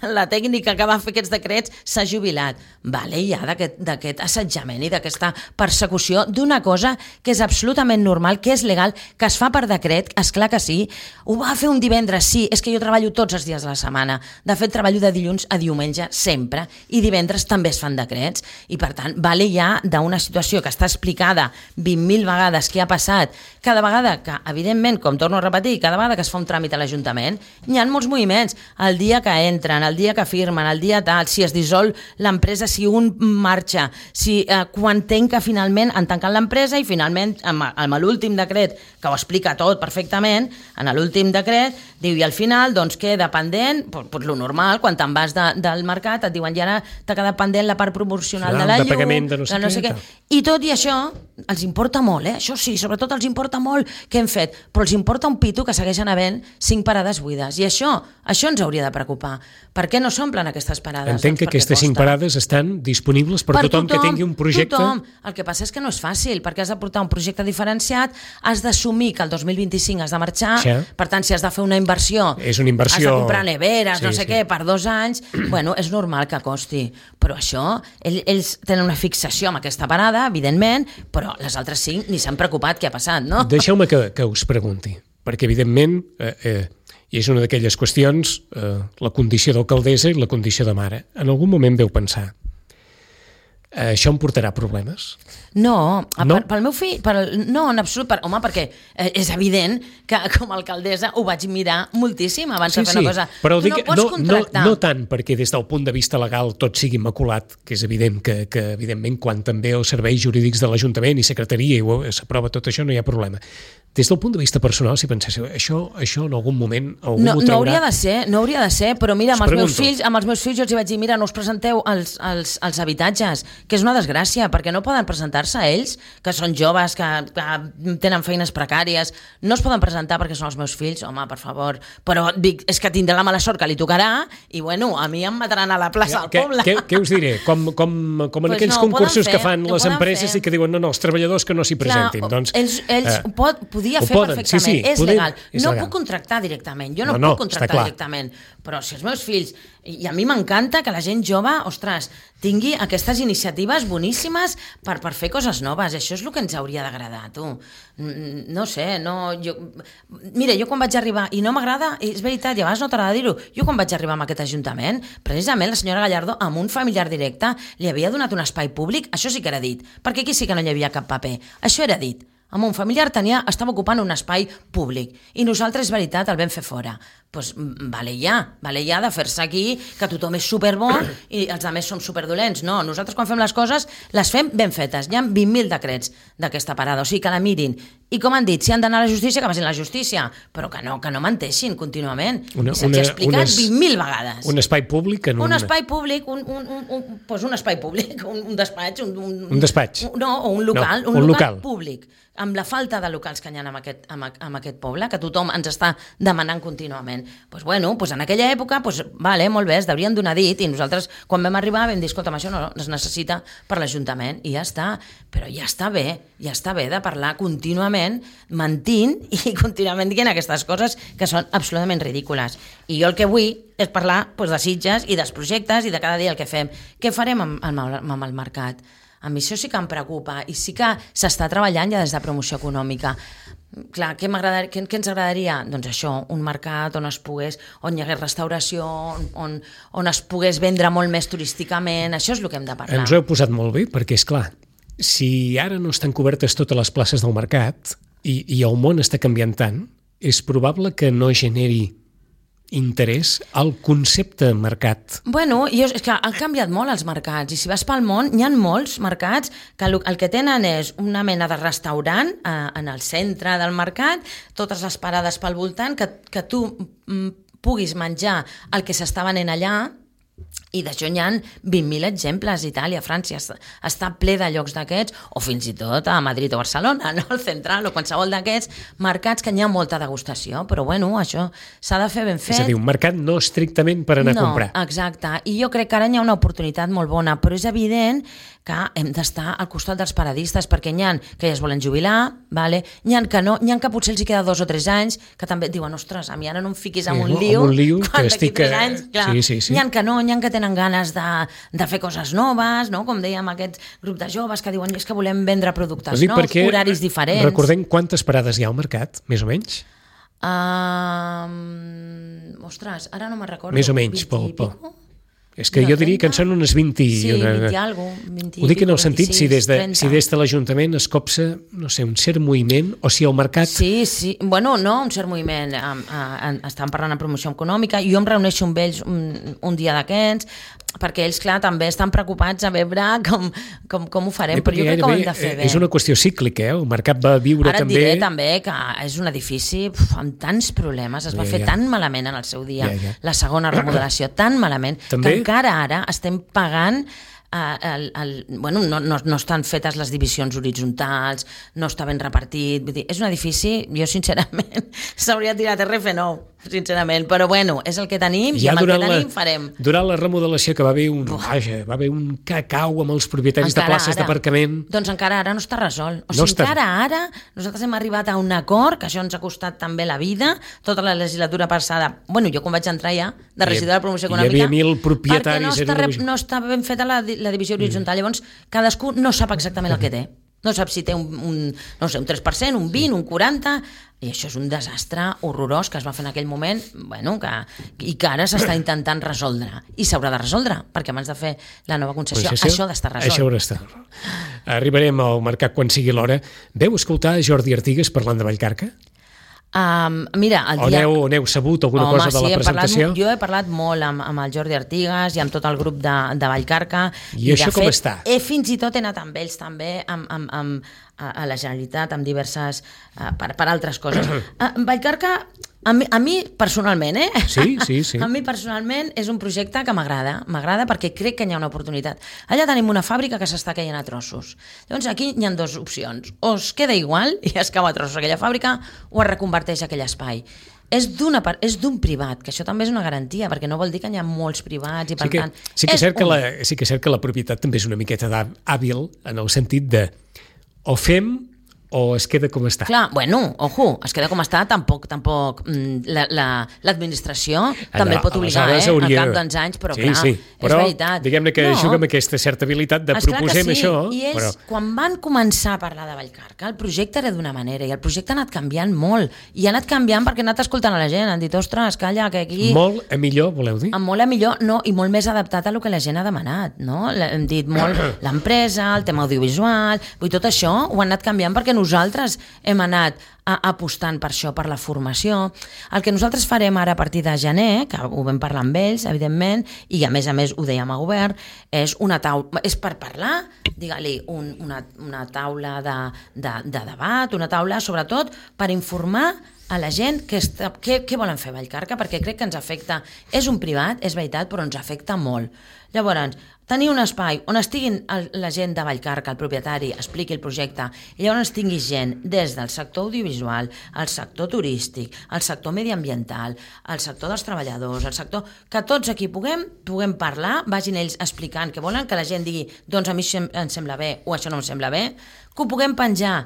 la tècnica que va fer aquests decrets s'ha jubilat. Vale, ja d'aquest assetjament i d'aquesta persecució d'una cosa que és absolutament normal, que és legal, que es fa per decret, esclar que sí. Ho va fer un divendres, sí, és que jo treballo tots els dies de la setmana. De fet, treballo de dilluns a diumenge sempre, i divendres també es fan decrets. I per tant, vale ja d'una situació que està explicada vint mil vegades que ha passat, cada vegada que, evidentment, com torno a repetir, cada vegada que es fa un tràmit a l'Ajuntament, hi ha molts moviments. El dia que entren, el dia que firmen, el dia tal, si es dissol l'empresa, si un marxa, si eh, quan tenc que finalment han tancat l'empresa i finalment amb, amb l'últim decret, que ho explica tot perfectament, en l'últim decret diu, i al final doncs queda pendent, pues, pues, lo normal, quan te'n vas de, del mercat et diuen, i ara t'ha quedat pendent la part promocional Clar, de la de llum, pagament de no sé, no sé què. I tot i això, els importa molt, eh? Això sí, sobretot els importa molt què hem fet, però els importa un pito que segueixen havent cinc parades buides. I això, això ens hauria de preocupar. Per què no s'omplen aquestes parades? Entenc doncs que aquestes cinc parades estan disponibles per, per tothom, tothom que tingui un projecte. Tothom. El que passa és que no és fàcil, perquè has de portar un projecte diferenciat, has d'assumir que el dos mil vint-i-cinc has de marxar, sí. Per tant, si has de fer una inversió, és una inversió... has de comprar neveres, sí, no sé sí. què, per dos anys, bueno, és normal que costi. Però això, ells, ells tenen una fixació amb aquesta parada, evidentment, però les altres cinc ni s'han preocupat què ha passat, no? Deixeu-me que, que us pregunti, perquè evidentment, eh, eh, i és una d'aquelles qüestions, eh, la condició d'alcaldessa i la condició de mare. En algun moment veu pensar, eh, això em portarà problemes? No, no? Per, pel meu fill, per, no, en absolut, per, home, perquè eh, és evident que com a alcaldessa ho vaig mirar moltíssim abans sí, de fer sí, una cosa. Però tu dic, no pots no, contractar. No, no tant perquè des del punt de vista legal tot sigui immaculat, que és evident que, que evidentment quan també els serveis jurídics de l'Ajuntament i secretaria i s'aprova tot això no hi ha problema. Des del punt de vista personal, si penséssiu, això, això en algun moment algú no, ho traurà... No hauria de ser, no hauria de ser, però mira, amb els, meus fills, amb els meus fills jo els hi vaig dir, mira, no us presenteu als, als, als habitatges, que és una desgràcia, perquè no poden presentar-se ells, que són joves, que, que tenen feines precàries, no es poden presentar perquè són els meus fills, home, per favor, però dic, és que tindrà la mala sort que li tocarà i, bueno, a mi em mataran a la plaça del poble. Què, què us diré? Com, com, com en pues aquells no, concursos fer, que fan les empreses fer. I que diuen, no, no, els treballadors que no s'hi presentin. Clar, doncs, ells ells eh, pot, podia fer poden, perfectament, sí, sí, és poden, legal. És no legal. puc contractar directament, jo no, no, no puc contractar directament, però si els meus fills, i a mi m'encanta que la gent jove, ostres, tingui aquestes iniciatives boníssimes per, per fer coses noves, això és el que ens hauria d'agradar, tu. No sé, no... Jo... Mira, jo quan vaig arribar, i no m'agrada, és veritat, i a vegades no t'agrada dir-ho, jo quan vaig arribar a aquest ajuntament, precisament la senyora Gallardo, amb un familiar directe, li havia donat un espai públic, això sí que era dit, perquè aquí sí que no hi havia cap paper, això era dit. Amb un familiar tenia, estava ocupant un espai públic i nosaltres, és veritat, el vam fer fora. Doncs pues, vale ja, vale ja de fer-se aquí, que tothom és superbo i els altres som superdolents. No, nosaltres quan fem les coses les fem ben fetes. Hi ha vint mil decrets d'aquesta parada, o sigui que la mirin. I com han dit, si han d'anar a la justícia, que passin a la justícia, però que no, que no menteixin contínuament. Una, I se'ls ha explicat vint mil vegades. Un espai públic en un... Un espai públic, un, un, un, un, pues un espai públic, un, un despatx. Un, un, un despatx? Un, no, o un local, no, un, un local, local públic. Amb la falta de locals que hi ha en aquest, en aquest poble, que tothom ens està demanant contínuament. Doncs pues bueno, pues en aquella època, pues, vale, molt bé, es deurien donar dit, i nosaltres, quan vam arribar, vam dir, escolta'm, això no es necessita per l'Ajuntament, i ja està. Però ja està bé, ja està bé de parlar contínuament, mentint, i contínuament dient aquestes coses que són absolutament ridícules. I jo el que vull és parlar pues, de Sitges i dels projectes i de cada dia el que fem. Què farem amb, amb, amb el mercat? A mi això sí que em preocupa i sí que s'està treballant ja des de promoció econòmica. Clar, què, què, què ens agradaria? Doncs això, un mercat on es pogués, on hi hagués restauració, on, on es pogués vendre molt més turísticament, això és el que hem de parlar. Ens ho heu posat molt bé, perquè és clar, si ara no estan cobertes totes les places del mercat i, i el món està canviant tant, és probable que no generi interès al concepte mercat. Bueno, jo, és que han canviat molt els mercats i si vas pel món hi ha molts mercats que el, el que tenen és una mena de restaurant eh, en el centre del mercat, totes les parades pel voltant, que, que tu mm, puguis menjar el que s'està venent allà. I d'això n'hi ha vint mil exemples. Itàlia, França, està ple de llocs d'aquests, o fins i tot a Madrid o Barcelona, no? Al Central o qualsevol d'aquests mercats que n'hi ha molta degustació, però bueno, això s'ha de fer ben fet. És a dir, un mercat no estrictament per anar no, a comprar. No, exacte, i jo crec que ara hi ha una oportunitat molt bona, però és evident que hem d'estar al costat dels paradistes, perquè n'hi ha que ja es volen jubilar, vale? N'hi ha que no, n'hi ha que potser els hi queda dos o tres anys, que també diuen, ostres, a mi ara no em fiquis en un lío, un lío quan d'aquí estic... tres anys, clar, sí, sí, sí. n'hi ha que no, n'hi ha que tenen ganes de, de fer coses noves, no? Com dèiem, aquest grup de joves que diuen és que volem vendre productes nous, horaris diferents. Recordem quantes parades hi ha al mercat, més o menys? Uh, ostres, ara no me'n recordo. Més o menys, pel... pel... És que no, jo diria que en són unes vint i... Sí, una... vint i alguna cosa. vint, Ho dic en el sentit, vint-i-sis, si des de, trenta. si des de l'Ajuntament es copsa, no sé, un cert moviment, o si el mercat... Sí, sí, bueno, no, un cert moviment. Um, uh, estan parlant en promoció econòmica, jo em reuneixo amb ells un, un dia d'aquests, perquè ells, clar, també estan preocupats a veure com, com, com ho farem, Bé, però jo crec que ho hem de fer bé. És una qüestió cíclica, eh? El mercat va viure Ara també... Ara et diré també que és un edifici uf, amb tants problemes, es va ja, fer ja. tan malament en el seu dia, ja, ja. la segona remodelació, tan malament, també? que encara ara estem pagant Uh, el, el, bueno, no, no, no estan fetes les divisions horitzontals, no està ben repartit, vull dir, és un edifici, jo sincerament s'hauria tirat R F nou, sincerament, però bueno, és el que tenim ja i amb el que tenim la, farem. Durant la remodelació que va haver un, vaja, va haver un cacau amb els propietaris encara de places d'aparcament. Doncs encara ara no està resolt. O no sigui, està... encara ara nosaltres hem arribat a un acord, que això ens ha costat també la vida, tota la legislatura passada, bueno, jo quan vaig entrar ja, de regidor de promoció econòmica, hi havia mil propietaris... perquè no està, re, no està ben feta la, la divisió horitzontal, llavors cadascú no sap exactament el que té. No sap si té un, un, no sé, un tres per cent, un vint, un quaranta, i això és un desastre horrorós que es va fer en aquell moment, bueno, que, i que ara s'està intentant resoldre. I s'haurà de resoldre, perquè abans de fer la nova concessió, això, això ha d'estar resolt. Això haurà d'estar. Arribarem al mercat quan sigui l'hora. Veu escoltar Jordi Artigas parlant de Vallcarca? Um, mira, el dia... O n'heu sabut alguna Home, cosa de sí, la presentació? Parlat, jo he parlat molt amb, amb el Jordi Artigas i amb tot el grup de, de Vallcarca. I, I això com fet, està? He, fins i tot he anat amb ells també, amb, amb, amb, a, a la Generalitat, amb diverses... Uh, per, per altres coses. Uh, Vallcarca... A mi, a mi personalment, eh? Sí, sí, sí. A mi personalment és un projecte que m'agrada, m'agrada perquè crec que hi ha una oportunitat. Allà tenim una fàbrica que s'està caient a trossos. Llavors aquí hi ha dues opcions. O es queda igual i es cau a trossos aquella fàbrica o es reconverteix aquell espai. És d'una part, és d'un privat, que això també és una garantia, perquè no vol dir que hi ha molts privats i per sí que, tant... Sí que, és cert un... que la, sí que és cert que la propietat també és una miqueta hàbil en el sentit de o fem o es queda com està. Clar, bueno, ojo, es queda com està, tampoc, tampoc l'administració la, la, també el pot obligar, eh, hauria... al cap d'uns anys, però sí, clar, sí. Però, és veritat. Diguem-ne que no. juga amb aquesta certa habilitat de Esclar proposem sí. això. I és, però... quan van començar a parlar de Vallcarca, el projecte era d'una manera i el projecte ha anat canviant molt, i ha anat canviant perquè ha anat escoltant a la gent, han dit, ostres, calla, que aquí... Molt a millor, voleu dir? Molt a millor, no, i molt més adaptat a lo que la gent ha demanat, no? Hem dit molt l'empresa, el tema audiovisual, vull tot això ho han anat canviant perquè nosaltres hem anat a, apostant per això, per la formació. El que nosaltres farem ara a partir de gener, que ho vam parlar amb ells, evidentment, i a més a més ho dèiem a govern, és una taula, és per parlar, digue-li, un, una, una taula de, de, de debat, una taula, sobretot, per informar a la gent que està, què, què volen fer a Vallcarca, perquè crec que ens afecta, és un privat, és veritat, però ens afecta molt. Llavors, tenir un espai on estiguin el, la gent de Vallcarca, el propietari, expliqui el projecte, i llavors tingui gent des del sector audiovisual, el sector turístic, el sector mediambiental, el sector dels treballadors, el sector... que tots aquí puguem, puguem parlar, vagin ells explicant què volen, que la gent digui, doncs a mi em sembla bé o això no em sembla bé, que ho puguem penjar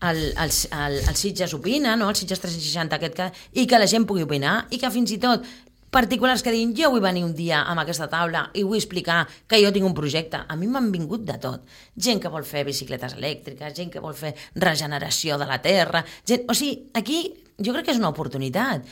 el, el, el, el Sitges Opina, no? El Sitges tres cents seixanta, aquest, que, i que la gent pugui opinar, i que fins i tot particulars que diguin, jo vull venir un dia amb aquesta taula i vull explicar que jo tinc un projecte. A mi m'han vingut de tot. Gent que vol fer bicicletes elèctriques, gent que vol fer regeneració de la terra, gent... O sigui, aquí jo crec que és una oportunitat.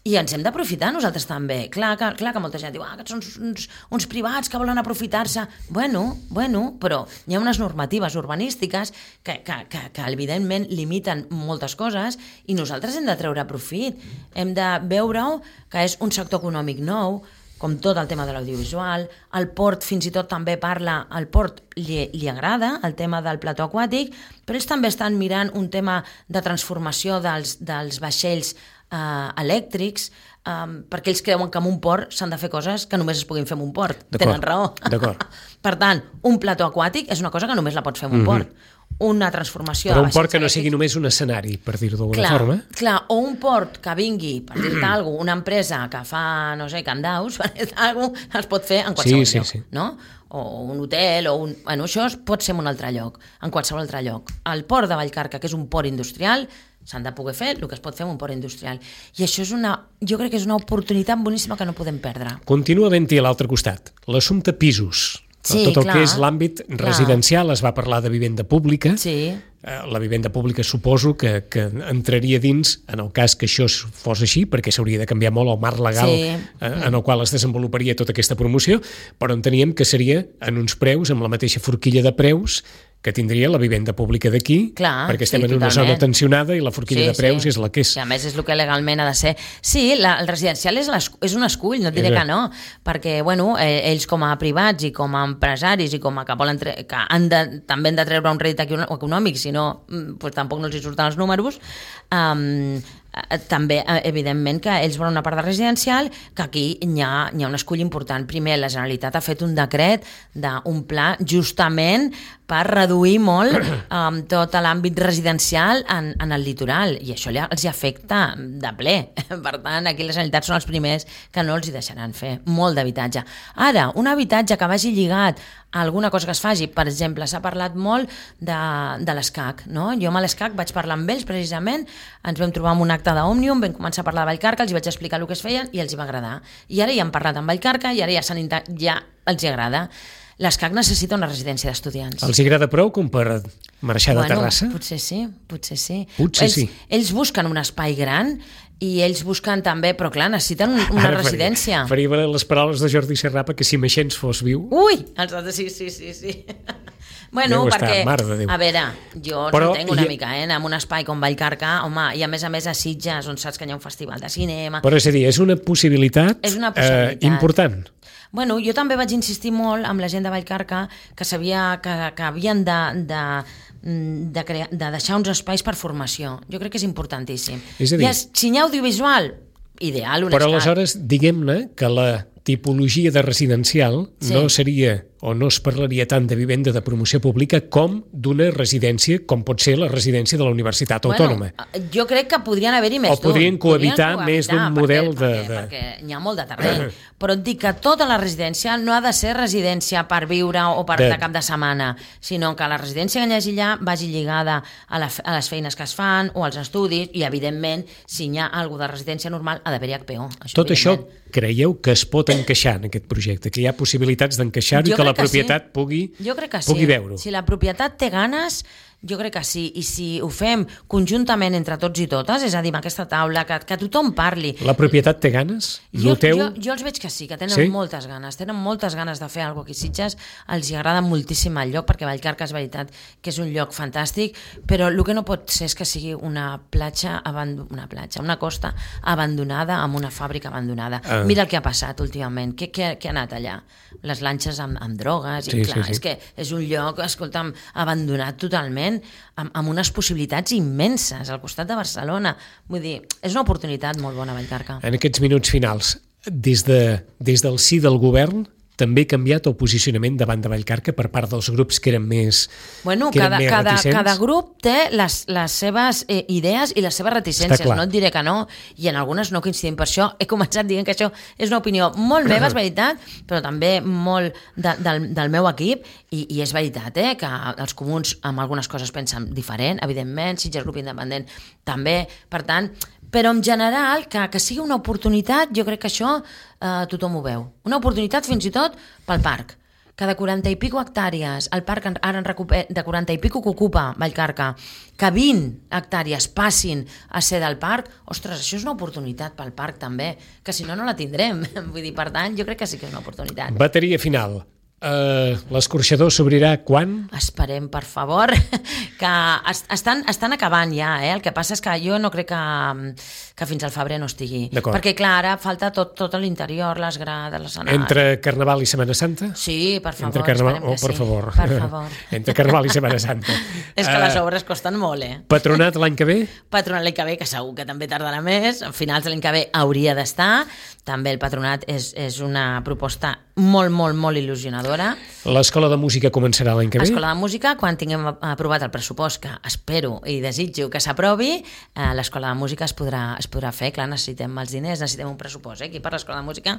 I ens hem d'aprofitar nosaltres també. Clar que, clar que molta gent diu, ah, que són uns, uns privats que volen aprofitar-se. Bueno, bueno, però hi ha unes normatives urbanístiques que, que, que, que evidentment limiten moltes coses i nosaltres hem de treure profit. Hem de veure-ho que és un sector econòmic nou, com tot el tema de l'audiovisual, el port fins i tot també parla, al port li, li agrada el tema del plató aquàtic, però ells també estan mirant un tema de transformació dels, dels vaixells Uh, elèctrics, um, perquè ells creuen que en un port s'han de fer coses que només es puguin fer en un port. Tenen raó. Per tant, un plató aquàtic és una cosa que només la pots fer en un mm-hmm. port. Una transformació... Però un port que no sigui només un escenari, per dir-ho d'alguna clar, forma. Clar, o un port que vingui, per dir-te alguna cosa, una empresa que fa, no sé, candaus, per dir-te alguna cosa, es pot fer en qualsevol sí, lloc, sí, sí. no? O un hotel, o un... Bueno, això pot ser en un altre lloc, en qualsevol altre lloc. El port de Vallcarca, que és un port industrial, s'han de poder fer el que es pot fer en un port industrial. I això és una, jo crec que és una oportunitat boníssima que no podem perdre. Continua havent-hi a l'altre costat l'assumpte pisos. Sí, tot el clar, que és l'àmbit residencial, es va parlar de vivenda pública. Sí. La vivenda pública suposo que, que entraria dins en el cas que això fos així, perquè s'hauria de canviar molt el marc legal sí. en el qual es desenvoluparia tota aquesta promoció, però enteníem que seria en uns preus, amb la mateixa forquilla de preus que tindria la vivenda pública d'aquí, perquè estem sí, en una totalment. zona tensionada i la forquilla sí, de preus sí. és la que és. I a més és el que legalment ha de ser. Sí, la, el residencial és, és un escull, no et diré que no, perquè bueno, eh, ells com a privats i com a empresaris i com a que volen tre que han de, també han de treure un rèdit econòmic, si no pues, tampoc no els hi surten els números, um, també, evidentment, que ells volen una part de residencial, que aquí hi ha, hi ha un escull important. Primer, la Generalitat ha fet un decret d'un pla justament per reduir molt um, tot l'àmbit residencial en, en el litoral, i això els hi afecta de ple. Per tant, aquí la Generalitat són els primers que no els hi deixaran fer molt d'habitatge. Ara, un habitatge que vagi lligat a alguna cosa que es faci, per exemple, s'ha parlat molt de, de l'ESCAC, no? Jo amb l'ESCAC vaig parlar amb ells, precisament, ens vam trobar amb un acte d'Òmnium, vam començar a parlar de Vallcarca, els hi vaig explicar el que es feien i els hi va agradar. I ara ja han parlat amb Vallcarca i ara ja, ja els hi agrada. L'ESCAC necessita una residència d'estudiants. Els hi agrada prou com per marxar bueno, de Terrassa? Potser sí, potser sí. Potser ells, sí. Ells busquen un espai gran i ells busquen també, però clar, necessiten una Ara residència. Faria, faria les paraules de Jordi Serrapa que si Meixens fos viu... Ui! Els altres, sí, sí, sí, sí. Bueno, Déu perquè, estar, a veure, jo però entenc una ha... mica, eh, en un espai com Vallcarca, home, i a més a més a Sitges, on saps que hi ha un festival de cinema... Però és a dir, és una possibilitat, és una possibilitat. Eh, important. Bueno, jo també vaig insistir molt amb la gent de Vallcarca que sabia que, que havien de... de De, crear, de deixar uns espais per formació. Jo crec que és importantíssim. És a dir, I si hi ha audiovisual, ideal. Però aleshores, diguem-ne que la tipologia de residencial sí. no seria o no es parlaria tant de vivenda de promoció pública com d'una residència, com pot ser la residència de la Universitat bueno, Autònoma. Jo crec que podrien haver-hi més d'un. O podrien cohabitar, podrien cohabitar més d'un model perquè, de... Perquè, perquè n'hi ha molt de terreny. Però et dic que tota la residència no ha de ser residència per viure o per de, de cap de setmana, sinó que la residència que hi hagi allà vagi lligada a, la, a les feines que es fan o als estudis i, evidentment, si hi ha alguna de residència normal, ha d'haver-hi H P O. Això, Tot això creieu que es pot encaixar en aquest projecte? Que hi ha possibilitats d'encaixar-ho i que la propietat sí. pugui, jo crec que pugui sí. veure-ho? Si la propietat té ganes... Jo crec que sí, i si ho fem conjuntament entre tots i totes, és a dir, amb aquesta taula, que, que tothom parli. La propietat té ganes? Jo, Noteu? jo, jo els veig que sí, que tenen sí? moltes ganes, tenen moltes ganes de fer alguna cosa aquí. Sitges els hi agrada moltíssim el lloc, perquè Vallcarca és veritat que és un lloc fantàstic, però el que no pot ser és que sigui una platja, una platja, una costa abandonada amb una fàbrica abandonada. Ah. Mira el que ha passat últimament, què, què, què ha anat allà? Les lanxes amb, amb drogues, i sí, clar, sí, sí. és que és un lloc, escolta'm, abandonat totalment, Amb, amb unes possibilitats immenses al costat de Barcelona. Vull dir, és una oportunitat molt bona, Vallcarca. En aquests minuts finals, des, de, des del sí del govern, també ha canviat el posicionament davant de Vallcarca per part dels grups que eren més Bueno, que cada, eren més cada, reticents? cada grup té les, les seves eh, idees i les seves reticències, no et diré que no, i en algunes no coincidim. Per això he començat dient que això és una opinió molt meva, és veritat, però també molt de, del, del meu equip, i, i és veritat eh, que els comuns amb algunes coses pensen diferent, evidentment, Sitges Grup Independent també, per tant, però en general, que, que sigui una oportunitat, jo crec que això eh, tothom ho veu. Una oportunitat fins i tot pel parc. Que de quaranta i pico hectàrees, el parc ara en recuper, de quaranta i pico que ocupa Vallcarca, que vint hectàrees passin a ser del parc, ostres, això és una oportunitat pel parc també, que si no, no la tindrem. Vull dir, per tant, jo crec que sí que és una oportunitat. Bateria final. Uh, l'escorxador s'obrirà quan? Esperem, per favor, que est estan, estan acabant ja, eh? El que passa és que jo no crec que, que fins al febrer no estigui. Perquè, clar, ara falta tot, tot l'interior, les grades, l'escenari. Entre Carnaval i Setmana Santa? Sí, per favor, Entre Carnaval... esperem que oh, per sí. favor. Per favor. Entre Carnaval i Setmana Santa. És que les obres costen molt, eh? Patronat l'any que ve? Patronat l'any que ve, que segur que també tardarà més. A finals de l'any que ve hauria d'estar. També el patronat és, és una proposta molt, molt, molt il·lusionadora. L'Escola de Música començarà l'any que ve? L'Escola de Música, quan tinguem aprovat el pressupost, que espero i desitjo que s'aprovi, eh, l'Escola de Música es podrà, es podrà fer. Clar, necessitem els diners, necessitem un pressupost eh, aquí per l'Escola de Música,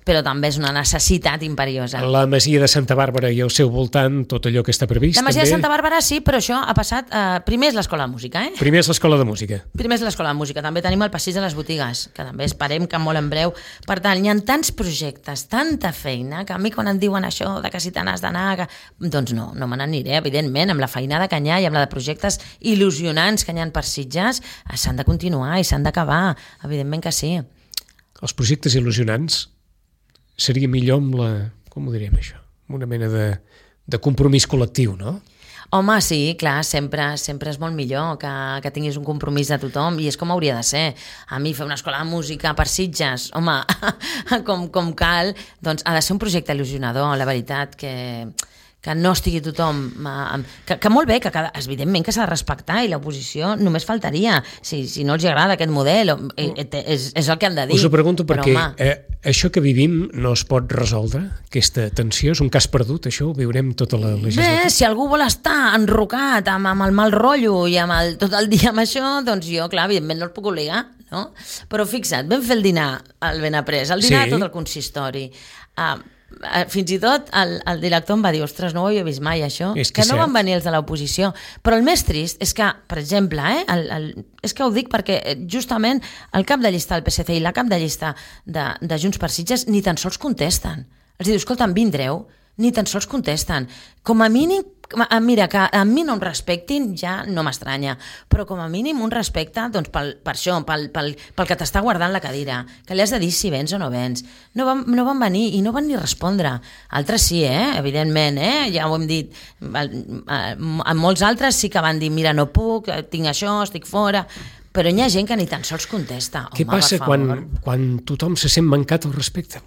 però també és una necessitat imperiosa. La Masia de Santa Bàrbara i el seu voltant, tot allò que està previst, La Masia també? de Santa Bàrbara sí, però això ha passat... Eh, primer és l'Escola de Música, eh? Primer és l'Escola de Música. Primer és l'Escola de Música. També tenim el Passeig de les Botigues, que també esperem que molt en breu. Per tant, hi ha tants projectes, tanta feina, que a mi quan em diuen això de que si te n'has d'anar... Que... Doncs no, no me n'aniré, evidentment, amb la feinada que hi ha i amb la de projectes il·lusionants que hi ha per Sitges, s'han de continuar i s'han d'acabar, evidentment que sí. Els projectes il·lusionants seria millor amb la... com ho diríem això? Una mena de, de compromís col·lectiu, no? Home, sí, clar, sempre, sempre és molt millor que, que tinguis un compromís de tothom i és com hauria de ser. A mi fer una escola de música per Sitges, home, com, com cal, doncs ha de ser un projecte il·lusionador, la veritat, que, que no estigui tothom... Que, que molt bé, que cada, evidentment que s'ha de respectar i l'oposició només faltaria. Si, si no els agrada aquest model, és, és el que han de dir. Us ho pregunto perquè eh, això que vivim no es pot resoldre, aquesta tensió, és un cas perdut, això ho viurem tota la legislatura. Bé, si algú vol estar enrocat amb, amb el mal rotllo i amb el, tot el dia amb això, doncs jo, clar, evidentment no els puc obligar, no? Però fixa't, vam fer el dinar al Benaprés, el dinar sí. Tot el consistori. Uh, fins i tot el, el director em va dir, ostres, no ho havia vist mai això, és que, que no cert. van venir els de l'oposició, però el més trist és que, per exemple, eh, el, el, és que ho dic perquè justament el cap de llista del P S C i la cap de llista de, de Junts per Sitges ni tan sols contesten. Els diu, escolta, vindreu, ni tan sols contesten. Com a mínim, mira, que a mi no em respectin ja no m'estranya, però com a mínim un respecte doncs, pel, per això, pel, pel, pel que t'està guardant la cadira, que li has de dir si vens o no vens. No van, no van venir i no van ni respondre. Altres sí, eh? Evidentment, eh? Ja ho hem dit. En molts altres sí que van dir, mira, no puc, tinc això, estic fora... Però hi ha gent que ni tan sols contesta. Què Home, passa quan, quan tothom se sent mancat al respecte?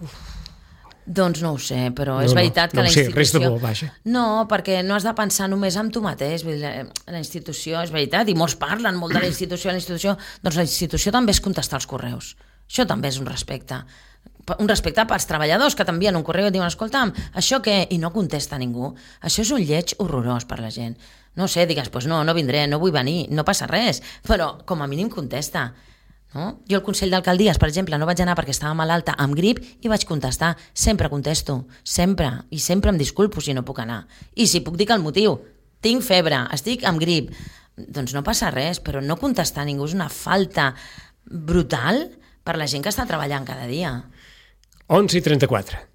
Doncs no ho sé, però no, és veritat no, no que la sé, institució... res de bo, vaja. No, perquè no has de pensar només en tu mateix. Vull dir, la institució, és veritat, i molts parlen molt de la institució, la institució... Doncs la institució també és contestar els correus. Això també és un respecte. Un respecte pels treballadors que t'envien un correu i diuen, escolta'm, això què? I no contesta ningú. Això és un lleig horrorós per la gent. No sé, digues, pues no, no vindré, no vull venir, no passa res, però com a mínim contesta. No? Jo al Consell d'Alcaldies, per exemple, no vaig anar perquè estava malalta amb grip i vaig contestar. Sempre contesto, sempre, i sempre em disculpo si no puc anar. I si puc dir que el motiu, tinc febre, estic amb grip, doncs no passa res, però no contestar a ningú és una falta brutal per la gent que està treballant cada dia. onze i trenta-quatre.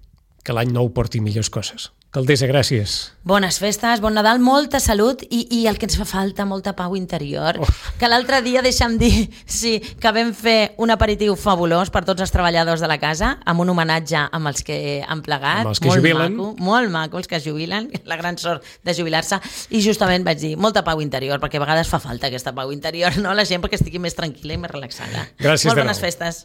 Que l'any nou porti millors coses. Caldessa, gràcies. Bones festes, bon Nadal, molta salut i, i el que ens fa falta, molta pau interior. Oh. Que l'altre dia, deixa'm dir, sí, que vam fer un aperitiu fabulós per tots els treballadors de la casa, amb un homenatge amb els que han plegat. Amb els que molt jubilen. Maco, molt maco, els que es jubilen, la gran sort de jubilar-se. I justament vaig dir, molta pau interior, perquè a vegades fa falta aquesta pau interior, no? La gent perquè estigui més tranquil·la i més relaxada. Gràcies molt de bones nou. festes.